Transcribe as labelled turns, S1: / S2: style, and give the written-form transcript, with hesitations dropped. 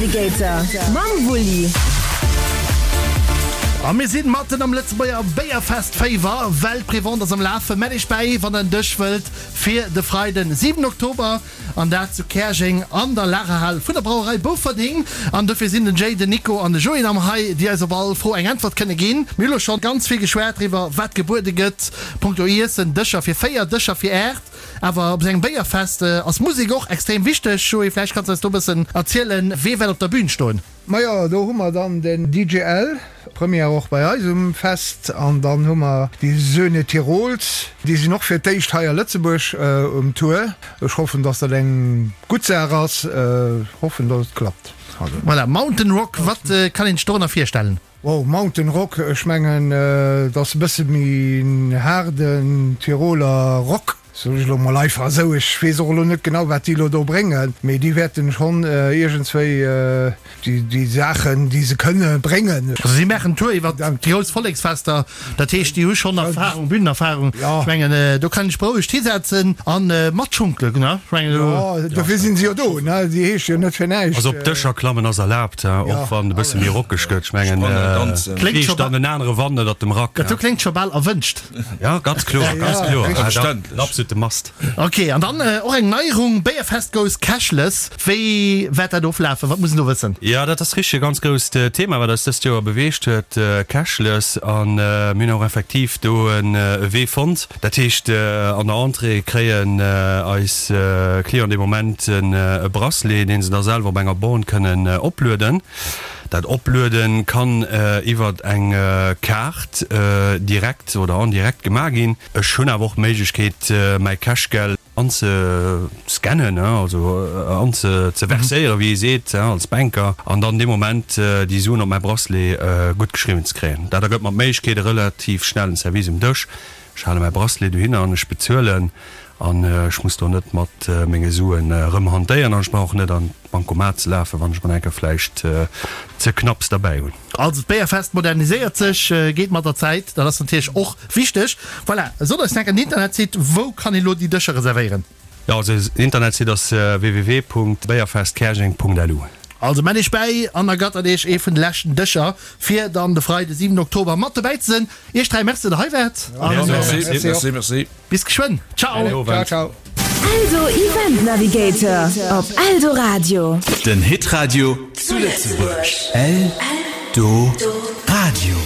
S1: Navigator mam Wulli.
S2: A mir sinn matten am Lëtzebuerger Béierfest-Féiwer, well d'Prévente ass am Lafen. Mell iech bäi, wann der en Dësch wëllt fir de Freiden, 7 Oktober, an dat zu Käerjeng an der Lagerhal vun der Brauerei Bouferding. An dofir sinn den Jay, den Nico an de Joé am hei, déi eis op all Fro eng Äntwert kënne ginn. Mir hu lo schonn ganz vill geschwat driwwer, wat gebuede gëtt punkto Iessen, Dëscher fir 4, Dëscher fir 8. Awer op esou engem Béierfest ass Musek och extrem wichteg. Joé, vläicht kanns de eis do e bëssen erzielen, wee wäert op der Bühn stoen?
S3: Majo, do hu mer dann den DJL, Première och bei eis um Fest, an dann hu mer déi Söhne Tirols, déi sinn och fir d'éischt hei a Lëtzebuerg um Tour. Ech hoffen, dass dat eng gutt Saach ass, hoffen, dass et klappt.
S2: Voilà, Mountain Rock, wat kann een sech dorënner virstellen?
S3: Wow, Mountain Rock, ech mengen et ass e bësse méi en haarden Tiroler Rock, soen ech elo mol einfach esou. Ech weess och elo net genau wat déi elo do bréngen, mee déi wäerten schonn iergendswéi déi Saachen déi se kënne bréngen.
S2: Also si maachen Tour iwwer déi grouss Volleksfester, dat heescht déi hu schonn Erfahrung, Bühnenerfahrung. Ech mengen do kann een sech berouegt hisetzen an matschunkelen, ne? Ech mengen
S3: do. Jo, dofir sinn se jo do, ne? Déi heesche jo net fir näischt.
S4: Also op Dëscher klammen ass erlaabt. Och wann e bësse méi rockeg gëtt, ech mengen, fliegt dann en anere Wand ënnert dem Rack.
S2: Dat do kléngt scho bal erwënscht.
S4: Ja, ganz kloer, ganz kloer. En absolute Must.
S2: Ok, an dann och eng Neierung, Béierfest goes cashless. Wéi wäert dat oflafen? Wat muss een do wëssen?
S4: Jo, dat ass richteg e ganz grousst Thema, wat eis dëst Joer beweegt huet, cashless. A mir hunn och effektiv do e Wee fonnt. Dat heescht, an der Entrée kréien eis Clienten dee Moment e Bracelet, dee se da selwer op enger Borne kënnen oplueden. Dat Opluede kann iwwert eng Kaart direkt oder en direct gemaach ginn. Ech hunn awer och d'Méiglechkeet, mäi Cashgeld anzescannen, also anzeverséieren, wéi ee seet als Banker, an dann dee Moment déi Suen op mäi Bracelet guttgeschriwwen ze kréien. Dat ergëtt mer d'Méiglechkeet, e relativ schnellen Service um Dësch Ech hale mäi Bracelet dohinner an ech bezuelen an ech muss do net mat menge Suen erëm hantéieren an ech brauch och net an d'Bancomat ze lafen, wann ech mol eng Kéier vläicht ze knapps derbäi hunn.
S2: Also d'Béierfest moderniséiert sech, geet mat der Zäit, dat ass natierlech och wichteg. Voilà, sot eis nach en Internetsite, wou kann een elo déi Dëscher reservéieren?
S4: Jo, also den Internetsite ass www.béierfestkäerjeng.lu.
S2: Also mellt iech bäi an ergattert iech ee vun de leschten Dëscher fir dann de Freide 7 Oktober mat dobäi ze sinn. Iech 3 Merci, datt der hei waart
S5: an Merci, merci.
S2: bis geschwënn. Ciao.
S3: Ciao, ciao.
S1: Eldo Event Navigator op Eldoradio.
S6: Den Hitradio zu Lëtzebuerg. Eldoradio.